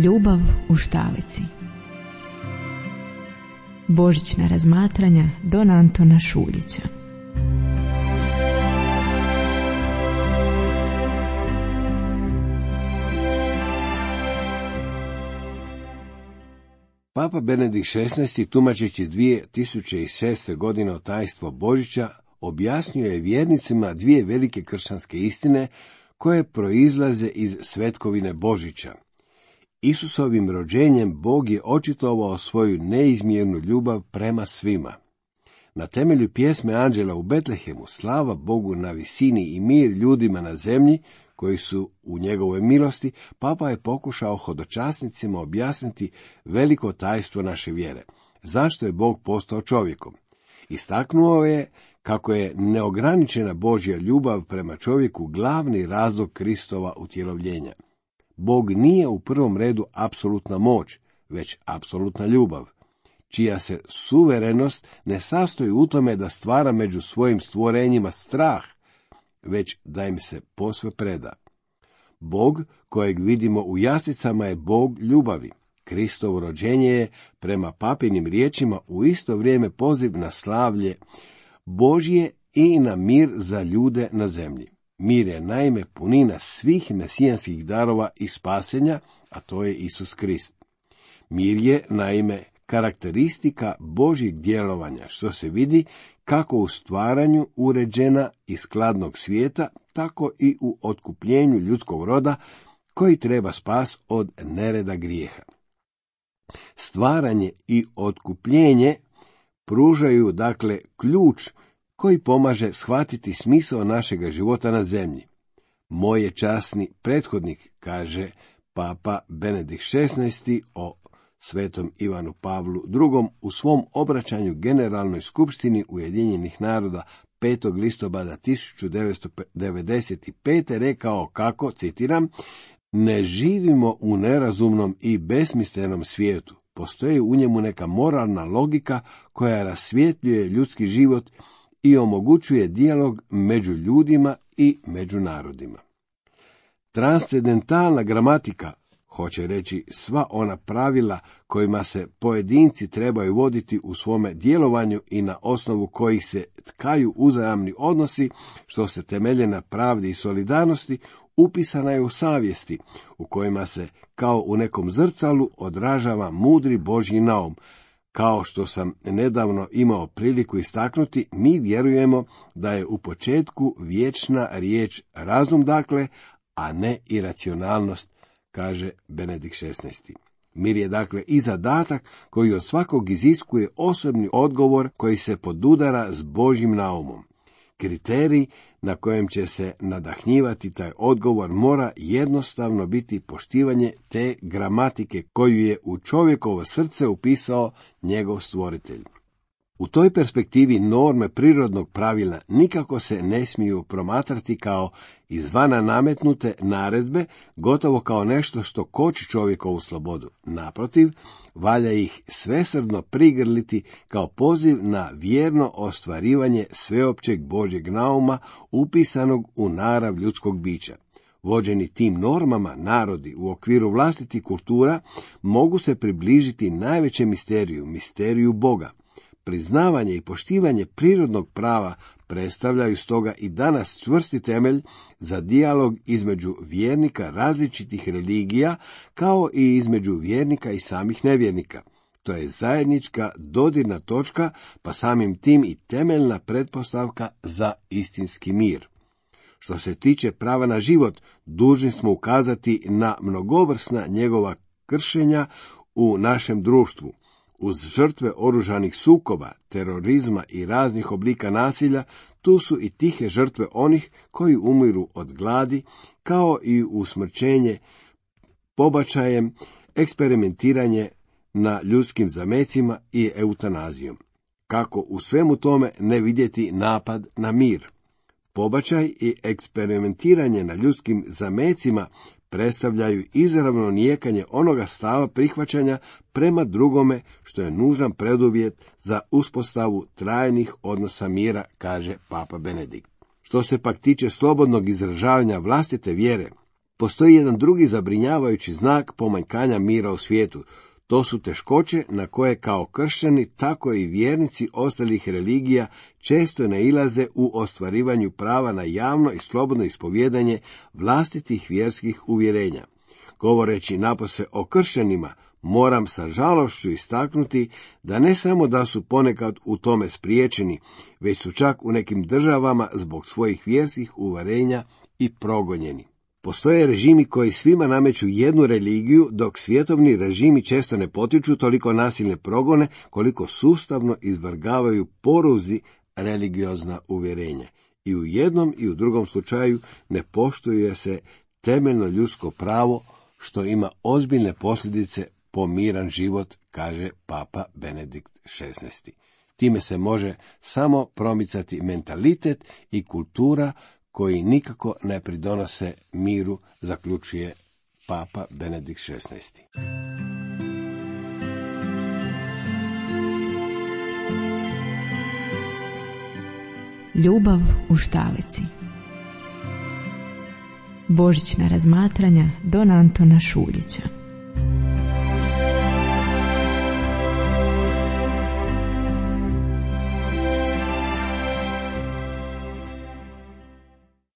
Ljubav u štalici. Božićna razmatranja don Antona Šuljića. Papa Benedikt XVI, tumačeći 2006. godine tajstvo Božića, objasnio je vjernicima dvije velike kršćanske istine koje proizlaze iz svetkovine Božića. Isusovim rođenjem Bog je očitovao svoju neizmjernu ljubav prema svima. Na temelju pjesme Anđela u Betlehemu, slava Bogu na visini i mir ljudima na zemlji, koji su u njegovoj milosti, Papa je pokušao hodočasnicima objasniti veliko tajstvo naše vjere. Zašto je Bog postao čovjekom? Istaknuo je kako je neograničena Božja ljubav prema čovjeku glavni razlog Kristova utjelovljenja. Bog nije u prvom redu apsolutna moć, već apsolutna ljubav, čija se suverenost ne sastoji u tome da stvara među svojim stvorenjima strah, već da im se posve preda. Bog, kojeg vidimo u jaslicama, je Bog ljubavi. Kristovo rođenje je, prema papinim riječima, u isto vrijeme poziv na slavlje Božje i na mir za ljude na zemlji. Mir je naime punina svih mesijanskih darova i spasenja, a to je Isus Krist. Mir je naime karakteristika Božjeg djelovanja, što se vidi kako u stvaranju uređena i skladnog svijeta, tako i u otkupljenju ljudskog roda, koji treba spas od nereda grijeha. Stvaranje i otkupljenje pružaju dakle ključ koji pomaže shvatiti smisao našega života na zemlji. Moj je časni prethodnik, kaže Papa Benedikt XVI o svetom Ivanu Pavlu II. U svom obraćanju Generalnoj skupštini Ujedinjenih naroda 5. listopada 1995. rekao kako, citiram, ne živimo u nerazumnom i besmislenom svijetu. Postoji u njemu neka moralna logika koja rasvjetljuje ljudski život i omogućuje dijalog među ljudima i među narodima. Transcendentalna gramatika, hoće reći sva ona pravila kojima se pojedinci trebaju voditi u svome djelovanju i na osnovu kojih se tkaju uzajamni odnosi, što se temelje na pravdi i solidarnosti, upisana je u savjesti, u kojima se kao u nekom zrcalu odražava mudri Božji naum. Kao što sam nedavno imao priliku istaknuti, mi vjerujemo da je u početku vječna riječ razum, dakle, a ne iracionalnost, kaže Benedikt XVI. Mir je dakle i zadatak koji od svakog iziskuje osobni odgovor koji se podudara s Božjim naumom. Kriterij na kojem će se nadahnjivati taj odgovor mora jednostavno biti poštivanje te gramatike koju je u čovjekovo srce upisao njegov stvoritelj. U toj perspektivi norme prirodnog pravila nikako se ne smiju promatrati kao izvana nametnute naredbe, gotovo kao nešto što koči čovjekovu slobodu. Naprotiv, valja ih svesrdno prigrliti kao poziv na vjerno ostvarivanje sveopćeg Božjeg nauma upisanog u narav ljudskog bića. Vođeni tim normama, narodi u okviru vlastitih kultura mogu se približiti najvećem misteriju Boga. Priznavanje i poštivanje prirodnog prava predstavljaju stoga i danas čvrsti temelj za dijalog između vjernika različitih religija, kao i između vjernika i samih nevjernika. To je zajednička dodirna točka, pa samim tim i temeljna pretpostavka za istinski mir. Što se tiče prava na život, dužni smo ukazati na mnogovrsna njegova kršenja u našem društvu. Uz žrtve oružanih sukoba, terorizma i raznih oblika nasilja, tu su i tihe žrtve onih koji umiru od gladi, kao i usmrćenje pobačajem, eksperimentiranje na ljudskim zamecima i eutanazijom. Kako u svemu tome ne vidjeti napad na mir? Pobačaj i eksperimentiranje na ljudskim zamecima predstavljaju izravno nijekanje onoga stava prihvaćanja prema drugome, što je nužan preduvjet za uspostavu trajnih odnosa mira, kaže Papa Benedikt. Što se pak tiče slobodnog izražavanja vlastite vjere, Postoji jedan drugi zabrinjavajući znak pomanjkanja mira u svijetu. To su teškoće na koje kao kršćani, tako i vjernici ostalih religija često nailaze u ostvarivanju prava na javno i slobodno ispovjedanje vlastitih vjerskih uvjerenja. Govoreći napose o kršćanima, moram sa žalošću istaknuti da ne samo da su ponekad u tome spriječeni, već su čak u nekim državama zbog svojih vjerskih uvjerenja i progonjeni. Postoje režimi koji svima nameću jednu religiju, dok svjetovni režimi često ne potiču toliko nasilne progone koliko sustavno izvrgavaju poruzi religiozna uvjerenja. I u jednom i u drugom slučaju ne poštuje se temeljno ljudsko pravo, što ima ozbiljne posljedice po miran život, kaže Papa Benedikt XVI. Time se može samo promicati mentalitet i kultura koji nikako ne pridonose miru, zaključuje Papa Benedikt XVI. Ljubav u štalici. Božićna razmatranja don Antona Šuljića.